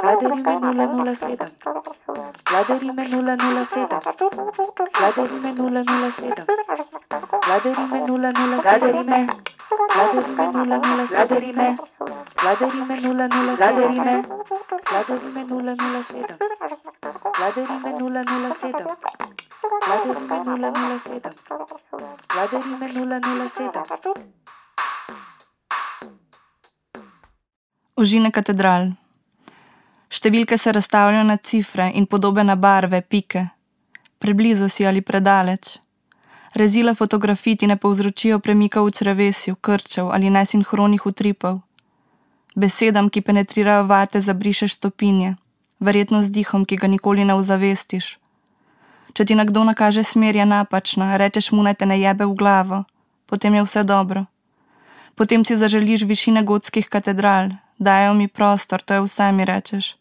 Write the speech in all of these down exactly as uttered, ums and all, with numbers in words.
Vladarime nula nula sedem. Vladarime nula nula sedem. Vladarime nula nula sedem. Vladarime nula nula Vladarime. Vladarime nula nula Vladarime. Vladarime nula nula Vladarime. Vladarime nula nula sedem. Vladarime nula nula sedem. Vladarime nula nula sedem. Vladarime nula nula sedem. Ožine katedral. Številke se razstavljajo na cifre in podobe na barve, pike. Preblizu si ali predaleč. Rezila fotografij ti ne povzročijo premikov v črevesju, krčev ali nesinhronih utripov. Besedam, ki penetrirajo vate, zabrišeš stopinje, verjetno z dihom, ki ga nikoli ne ozavestiš. Če ti nekdo nakaže smer, je napačna, rečeš mu, naj te ne jebe v glavo, potem je vse dobro. Potem si zaželiš višine gotskih katedral, dajo mi prostor, to je vse, mi rečeš.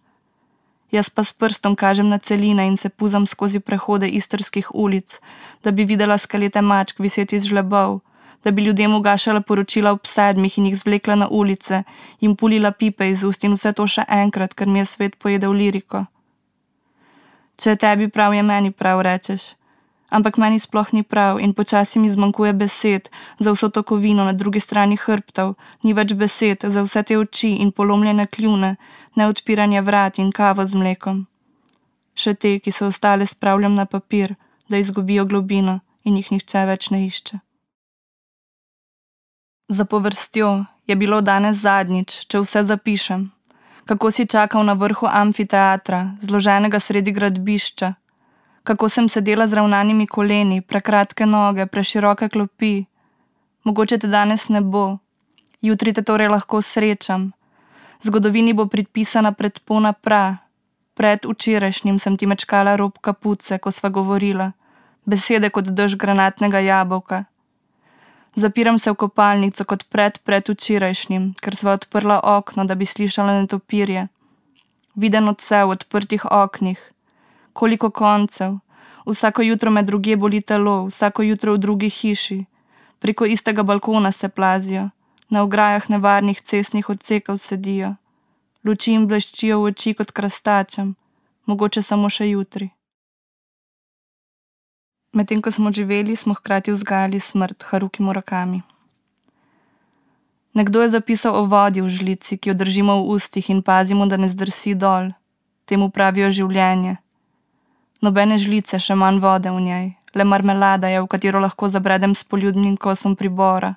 Jaz pa s prstom kažem na celine in se puzam skozi prehode istrskih ulic, da bi videla skelete mačk viseti z žlebov, da bi ljudem ugašala poročila ob sedmih in jih zvlekla na ulice, jim pulila pipe iz ust in vse to še enkrat, ker mi je svet pojedel liriko. Če je tebi prav, je meni prav, rečeš. Ampak meni sploh ni prav in počasi mi zmanjkuje besed za vso to kovino na drugi strani hrbtov, ni več besed za vse te oči in polomljene kljune, neodpiranje vrat in kavo z mlekom. Še te, ki so ostale, spravljam na papir, da izgubijo globino in jih nihče več ne išče. Za povrstjo je bilo danes zadnjič, če vse zapišem. Kako si čakal na vrhu amfiteatra, zloženega sredi gradbišča, kako sem sedela z ravnanimi koleni, prekratke noge, preširoke klopi. Mogoče te danes ne bo, jutri te torej lahko srečam. Zgodovini bo predpisana predpona pra. Pred včerajšnjim sem ti mečkala rob kapuce, ko sva govorila, besede kot dež granatnega jabolka. Zapiram se v kopalnico kot pred pred včerajšnjim, ker sva odprla okno, da bi slišala netopirje. Viden odsev v odprtih oknih. Koliko koncev, vsako jutro me drugje boli telo, vsako jutro v drugi hiši, preko istega balkona se plazijo, na ograjah nevarnih cestnih odsekov sedijo, luči jim bleščijo v oči kot krastačem, mogoče samo še jutri. Medtem ko smo živeli, smo hkrati vzgajali smrt, Haruki Murakami. Nekdo je zapisal o vodi v žlici, ki jo držimo v ustih in pazimo, da ne zdrsi dol. Temu pravijo življenje. Nobene žlice, še manj vode v njej, le marmelada je, v katero lahko zabredem s poljudnim kosom pribora.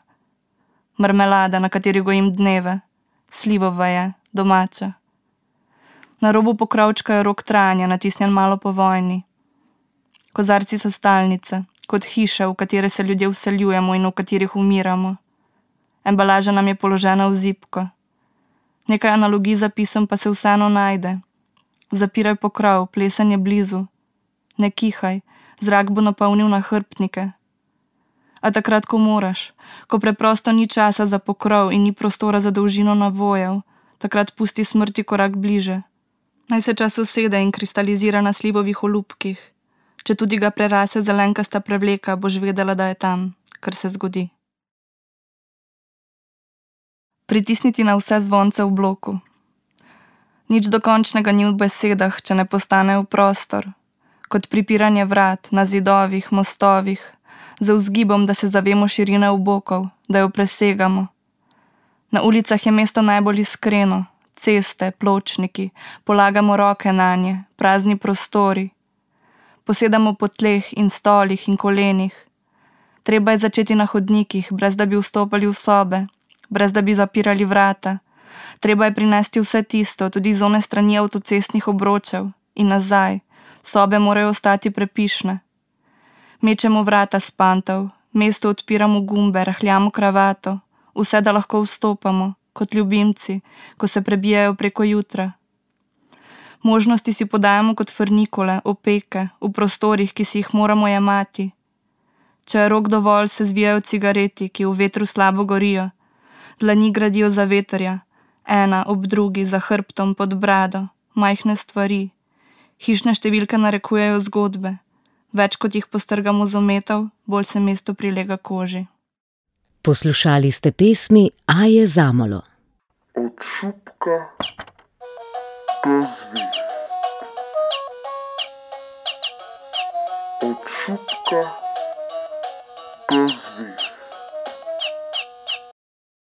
Marmelada, na kateri gojim dneve, slivova je, domača. Na robu pokrovčka je rok trajanja, natisnjen malo po vojni. Kozarci so stalnice, kot hiše, v katere se ljudje vseljujemo in v katerih umiramo. Embalaža nam je položena v zibko. Nekaj analogij zapisom pa se vseeno najde. Zapiraj pokrov, plesen je blizu. Ne kihaj, zrak bo napolnil nahrbtnike. A takrat, ko moraš, ko preprosto ni časa za pokrov in ni prostora za dolžino navojev, takrat pusti smrti korak bliže. Naj se čas usede in kristalizira na slivovih olupkih. Če tudi ga prerase zelenkasta prevleka, boš vedela, da je tam, kar se zgodi. Pritisniti na vse zvonce v bloku. Nič dokončnega ni v besedah, če ne postane v prostor. Kot pripiranje vrat, na zidovih, mostovih, za vzgibom, da se zavemo širine obokov, da jo presegamo. Na ulicah je mesto najbolj iskreno, ceste, pločniki, polagamo roke nanje, prazni prostori. Posedamo po tleh in stolih in kolenih. Treba je začeti na hodnikih, brez da bi vstopali v sobe, brez da bi zapirali vrata. Treba je prinesti vse tisto, tudi z one strani avtocestnih obročev in nazaj. Sobe morajo ostati prepišne. Mečemo vrata s pantov, mesto odpiramo gumbe, rahljamo kravato, vse da lahko vstopamo, kot ljubimci, ko se prebijajo preko jutra. Možnosti si podajamo kot frnikole, opeke, v prostorih, ki si jih moramo jemati. Če je rok dovolj, se zvijajo cigareti, ki v vetru slabo gorijo. Dlani gradijo za veterja, ena ob drugi, za hrbtom, pod brado, majhne stvari. Hišne številke narekujejo zgodbe. Več kot jih postrgamo z ometov, bolj se mesto prilega koži. Poslušali ste pesmi Aje Zamolo. Od šupka do zvezd. Od šupka do zvezd.